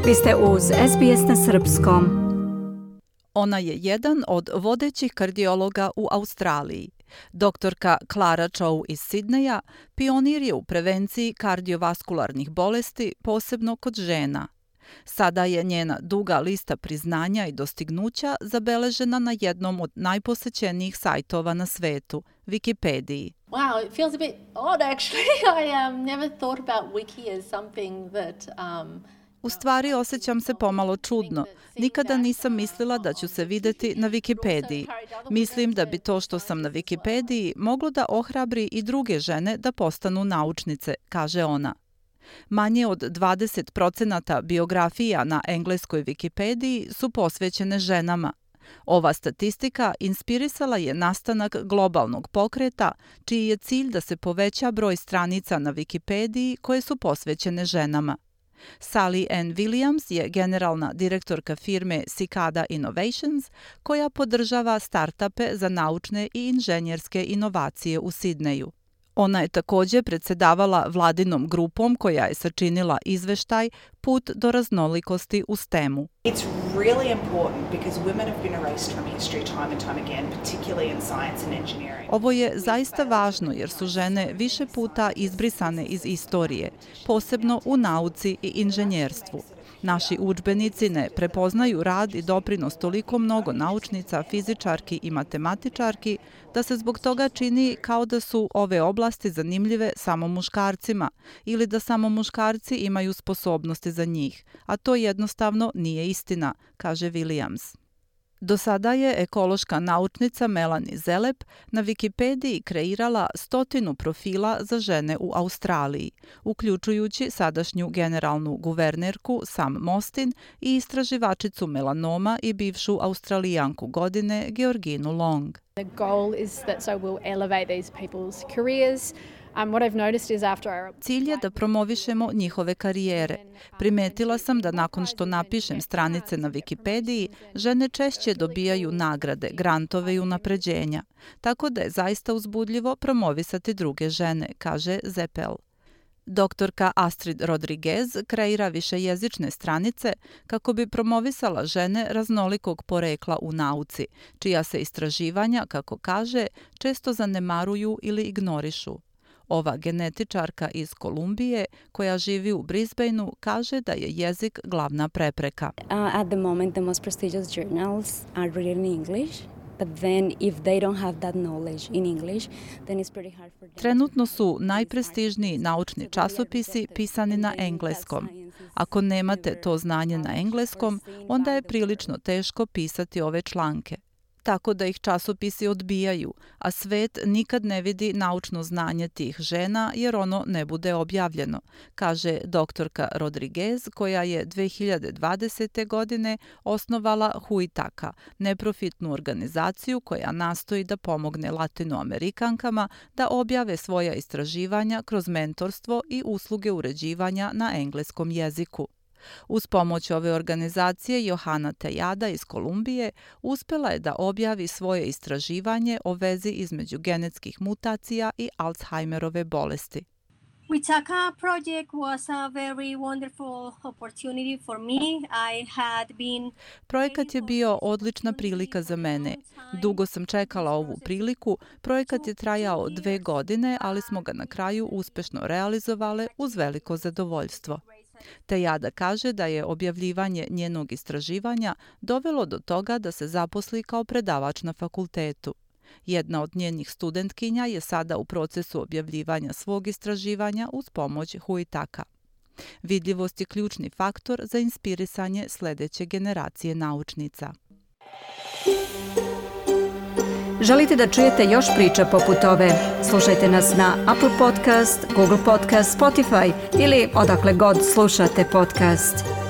Vi ste uz SBS na srpskom. Ona je jedan od vodećih kardiologa u Australiji. Doktorka Clara Chow iz Sidneja pionir je u prevenciji kardiovaskularnih bolesti, posebno kod žena. Sada je njena duga lista priznanja i dostignuća zabeležena na jednom od najposećenijih sajtova na svetu, Wikipediji. Wow, it feels a bit odd actually. I never thought about Wiki as something that U stvari osjećam se pomalo čudno. Nikada nisam mislila da ću se videti na Wikipediji. Mislim da bi to što sam na Wikipediji moglo da ohrabri i druge žene da postanu naučnice, kaže ona. Manje od 20% biografija na engleskoj Wikipediji su posvećene ženama. Ova statistika inspirisala je nastanak globalnog pokreta, čiji je cilj da se poveća broj stranica na Wikipediji koje su posvećene ženama. Sally Ann Williams je generalna direktorka firme Cicada Innovations, koja podržava startupe za naučne i inženjerske inovacije u Sidneju. Ona je također predsjedavala vladinom grupom koja je sačinila izveštaj Put do raznolikosti u STEM-u. It's really important because women have been erased from history time and time again, particularly in science and engineering. Ovo je zaista važno jer su žene više puta izbrisane iz istorije, posebno u nauci i inženjerstvu. Naši udžbenici ne prepoznaju rad i doprinos toliko mnogo naučnica, fizičarki i matematičarki da se zbog toga čini kao da su ove oblasti zanimljive samo muškarcima ili da samo muškarci imaju sposobnosti za njih, a to jednostavno nije istina, kaže Williams. Do sada je ekološka naučnica Melanie Zelep na Wikipediji kreirala 100 profila za žene u Australiji, uključujući sadašnju generalnu guvernerku Sam Mostyn i istraživačicu melanoma i bivšu Australijanku godine Georginu Long. The goal is that so we'll elevate these people's careers. What I've noticed is after Cilj je da promovišemo njihove karijere. Primetila sam da nakon što napišem stranice na Wikipediji, žene češće dobijaju nagrade, grantove i unapređenja. Tako da je zaista uzbudljivo promovisati druge žene, kaže Zeppel. Doktorka Astrid Rodriguez kreira višejezične stranice kako bi promovisala žene raznolikog porekla u nauci, čija se istraživanja, kako kaže, često zanemaruju ili ignorišu. Ova genetičarka iz Kolumbije, koja živi u Brisbaneu, kaže da je jezik glavna prepreka. At the moment, the most prestigious journals are written in English. But then if they don't have that knowledge in English, then it's pretty hard for them. Trenutno su najprestižniji naučni časopisi pisani na engleskom. Ako nemate to znanje na engleskom, onda je prilično teško pisati ove članke. Tako da ih časopisi odbijaju, a svet nikad ne vidi naučno znanje tih žena jer ono ne bude objavljeno, kaže doktorka Rodriguez, koja je 2020. godine osnovala Huitaka, neprofitnu organizaciju koja nastoji da pomogne Latinoamerikankama da objave svoja istraživanja kroz mentorstvo i usluge uređivanja na engleskom jeziku. Uz pomoć ove organizacije Johana Tejada iz Kolumbije uspjela je da objavi svoje istraživanje o vezi između genetskih mutacija i Alzheimerove bolesti. Huitaka project was a very wonderful opportunity for me. Projekat je bio odlična prilika za mene. Dugo sam čekala ovu priliku. Projekat je trajao 2 godine, ali smo ga na kraju uspješno realizovali uz veliko zadovoljstvo. Tejada kaže da je objavljivanje njenog istraživanja dovelo do toga da se zaposli kao predavač na fakultetu. Jedna od njenih studentkinja je sada u procesu objavljivanja svog istraživanja uz pomoć Huitaka. Vidljivost je ključni faktor za inspirisanje sljedeće generacije naučnica. Želite da čujete još priča poput ove? Slušajte nas na Apple Podcast, Google Podcast, Spotify ili odakle god slušate podcast.